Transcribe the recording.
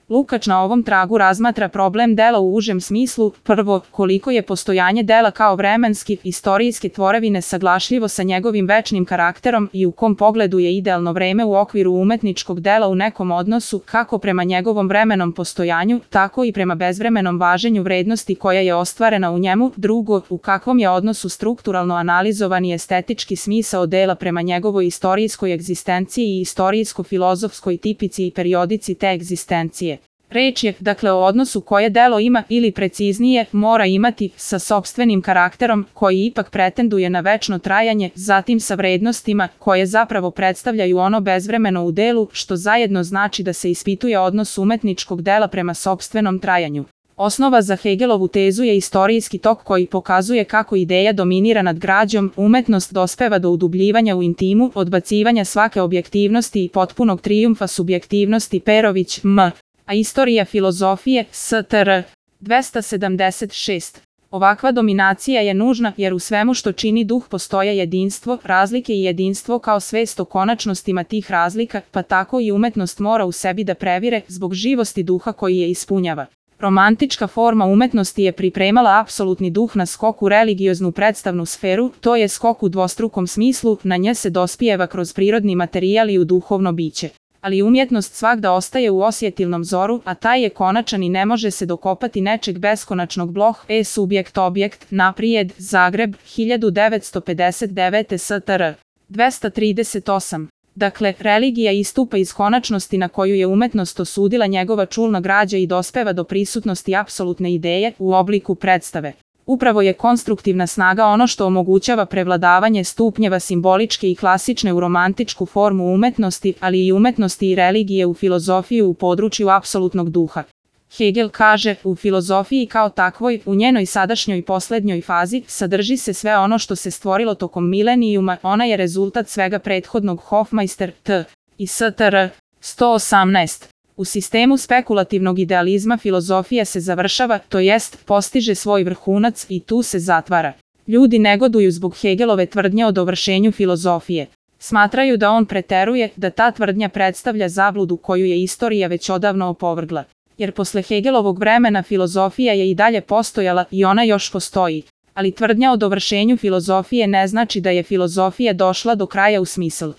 Lukač na ovom tragu razmatra problem dela u užem smislu, prvo, koliko je postojanje dela kao vremenski, istorijske tvorevine saglašljivo sa njegovim večnim karakterom i u kom pogledu je idealno vreme u okviru umetničkog dela u nekom odnosu, kako prema njegovom vremenom postojanju, tako i prema bezvremenom važenju vrednosti koja je ostvarena u njemu, drugo, u kakvom je odnosu strukturalno analizovan i estetički smisao dela prema njegovoj istorijskoj egzistenciji i istorijsko-filozofskoj tipici i periodici te egzistencije. Reč je, dakle, o odnosu koje delo ima ili preciznije mora imati sa sopstvenim karakterom koji ipak pretenduje na večno trajanje, zatim sa vrednostima koje zapravo predstavljaju ono bezvremeno u delu, što zajedno znači da se ispituje odnos umetničkog dela prema sopstvenom trajanju. Osnova za Hegelovu tezu je istorijski tok koji pokazuje kako ideja dominira nad građom, umetnost dospeva do udubljivanja u intimu, odbacivanja svake objektivnosti i potpunog trijumfa subjektivnosti. Perović, M. A istorija filozofije, STR. 276. Ovakva dominacija je nužna jer u svemu što čini duh postoje jedinstvo, razlike i jedinstvo kao svest o konačnostima tih razlika, pa tako i umetnost mora u sebi da previre zbog živosti duha koji je ispunjava. Romantička forma umetnosti je pripremala apsolutni duh na skok u religioznu predstavnu sferu, to je skok u dvostrukom smislu, na nje se dospijeva kroz prirodni materijal i u duhovno biće. Ali umjetnost svagda ostaje u osjetilnom zoru, a taj je konačan i ne može se dokopati nečeg beskonačnog. Bloh, subjekt objekt, naprijed, Zagreb, 1959. STR. 238. Dakle, religija istupa iz konačnosti na koju je umetnost osudila njegova čulna građa i dospeva do prisutnosti apsolutne ideje u obliku predstave. Upravo je konstruktivna snaga ono što omogućava prevladavanje stupnjeva simboličke i klasične u romantičku formu umetnosti, ali i umetnosti i religije u filozofiju u području apsolutnog duha. Hegel kaže, u filozofiji kao takvoj, u njenoj sadašnjoj i poslednjoj fazi, sadrži se sve ono što se stvorilo tokom milenijuma, ona je rezultat svega prethodnog. Hofmeister, T. i STR. 118. U sistemu spekulativnog idealizma filozofija se završava, to jest, postiže svoj vrhunac i tu se zatvara. Ljudi negoduju zbog Hegelove tvrdnje o dovršenju filozofije. Smatraju da on preteruje, da ta tvrdnja predstavlja zabludu koju je istorija već odavno opovrgla. Jer posle Hegelovog vremena filozofija je i dalje postojala i ona još postoji. Ali tvrdnja o dovršenju filozofije ne znači da je filozofija došla do kraja u smislu.